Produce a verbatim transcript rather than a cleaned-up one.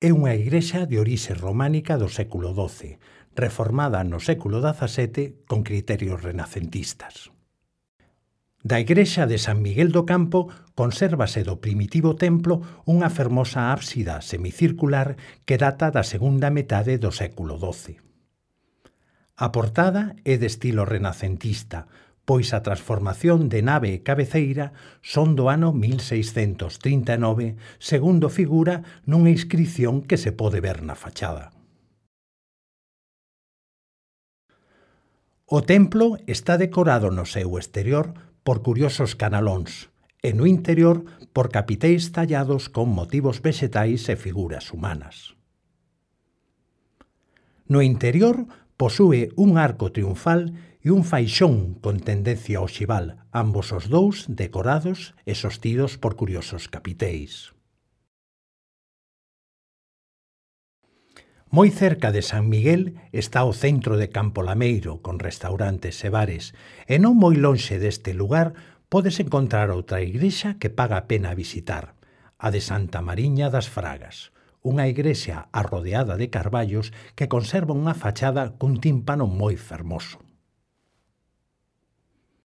É unha igrexa de orixe románica do século doce, reformada no século dezasete con criterios renacentistas. Da igrexa de San Miguel do Campo consérvase do primitivo templo unha fermosa ábsida semicircular que data da segunda metade do século doce. A portada é de estilo renacentista, pois a transformación de nave e cabeceira son do ano mil seiscentos trinta e nove, segundo figura nunha inscrición que se pode ver na fachada. O templo está decorado no seu exterior por curiosos canalóns e no interior por capiteis tallados con motivos vexetais e figuras humanas. No interior posúe un arco triunfal e un faixón con tendencia oxival, ambos os dous decorados e sostidos por curiosos capiteis. Moi cerca de San Miguel está o centro de Campo Lameiro, con restaurantes e bares, e non moi lonxe deste lugar podes encontrar outra igrexa que paga a pena visitar, a de Santa Mariña das Fragas, unha igrexa arrodeada de carballos que conserva unha fachada cun tímpano moi fermoso.